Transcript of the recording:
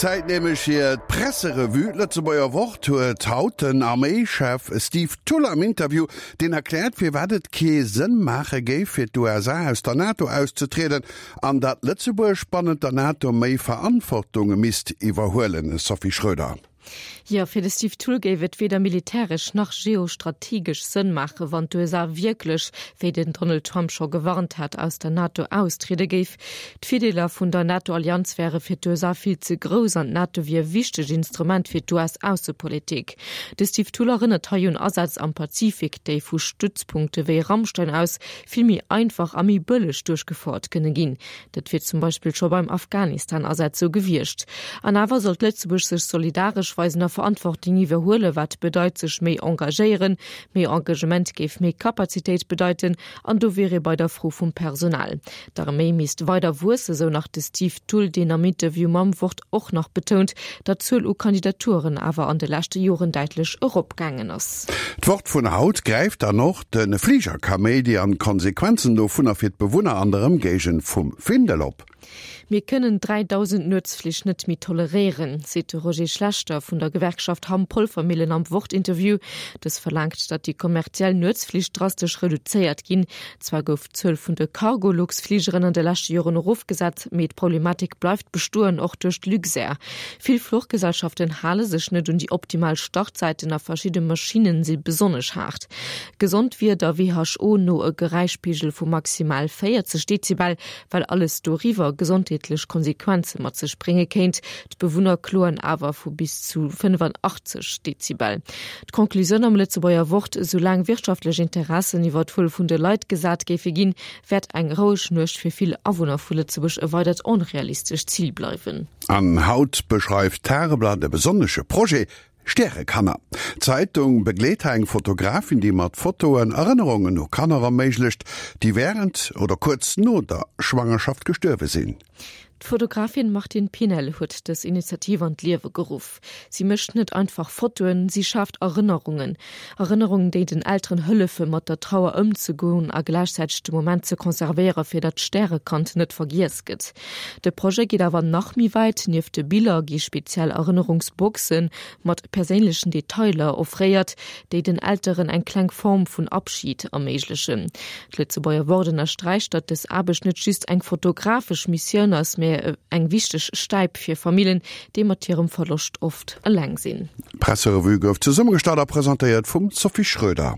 Zäit nämlech fir d'Presserevue. D'Lëtzebuerger Wort huet haut den Arméischef Steve Thull am Interview, deen erkläert, firwat et kee Sënn maache géif, fir d'USA aus der NATO auszetrieden an datt Lëtzebuerg bannent der NATO méi Verantwortung misst iwwerhuelen. Sophie Schroeder. Jo, fir de Steve Thull géif et weder militäresch nach geostrategesch Sënn maachen, wann d'USA wierklech, wéi den Donald Trump scho gewarnt hat, aus der NATO austriede géif. D'Virdeeler vun der NATO-Allianz wäre fir d'USA vill ze grouss an d'NATO wier e wichtegt Instrument fir d'US-Aussepolitik. De Steve Thull erënnert hei un Asätz am Pazifik, déi vu Stützpunkte wéi Ramstein aus vill méi einfach a méi bëlleg duerchgefouert kënne ginn. Dat wier zum Beispill scho beim Afghanistan-Asaz sou gewiescht. An awer sollt Lëtzebuerg sech solidaresch weisen a Verantwortung iwwerhuelen, wat bedeit sech méi engagéieren. Méi Engagement géif méi Kapazitéit bedeiten an do wier ee bei der Fro vum Personal. D'Arméi misst weider wuessen, sou nach de Steve Thull, deen am Interview mam Wort och nach betount, datt d'Zuel u Kandidaturen awer an de leschte Joren däitlech eropgaangen ass. D'Wort vun haut gräift dann och de Fligerkaméidi an d'Konsequenzen dovunner fir d'Bewunner an der Ëmgéigend vum Findel op. Mir kënnen 3.000 Nuetsflich net méi toleréieren, seet de Roger Schlechter vun der Gewerkschaft Hamm-Polvermillen am Wort-Interview. Dës verlaangt, datt déi kommerziell Nuetsflich drastesch reduzéiert ginn. Zwar gouf d'Zuel vun de Cargolux-Fligeren an de leschte Joren erofgesat, mee d'Problematik bleift bestoen, och duerch d'Luxair. Vill Fluchgesellschaften hale sech net un déi optimal Startzäiten a verschidde Maschinne si besonnesch haart. Gesond wier der WHO no e Geräischpegel vu maximal 40 Dezibel, well alles doriwwer gesondheetlech Konsequenze mat sech brénge kéint. D'Bewunner kloen awer vu bis zu 85 Dezibel. D'Conclusioun am Lëtzebuerger Wort, Soulaang wirtschaftlech Interessen iwwer d'Wuel vun de Leit gesat géife ginn, wäert eng roueg Nuecht fir vill Awunner vu Lëtzebuerg e weidert onrealistescht Zil bleiwen. An haut beschreift d'Tageblatt e besonnesche Projet, Stärekanner. D'Zeitung begleet hei eng Fotografin, déi mat Fotoen Erënnerungen u Kanner erméiglecht, déi wärend oder kuerz no der Schwangerschaft gestuerwe sinn. D'Fotografin Martine Pinel huet dës Initiativ an d'Liewe geruff. Si mécht net einfach Fotoen, si schaaft Erënnerungen. Erënnerungen, déi den Elteren hëllefe mat der Trauer ëmzegoen a gläichzäiteg de Moment ze konservéiere fir datt d'Stärekand net vergiess gëtt. De Projet geet awer nach méi wäit, Nieft de Biller gi speziell Erënnerungsboxe mat perséinlechen Detailer offréiert, déi den Elteren eng kleng Form vun Abschid erméiglechen. D'Lëtzebuerger Wort ënnersträicht, datt dës Aarbecht net just eng fotografesch Missioun ass, mä eng wichteg Stäip fir Famillen, déi mat hirem Verloscht oft eleng sinn. D'Presserevue gouf zesummegestallt a presentéiert vum Sophie Schröder.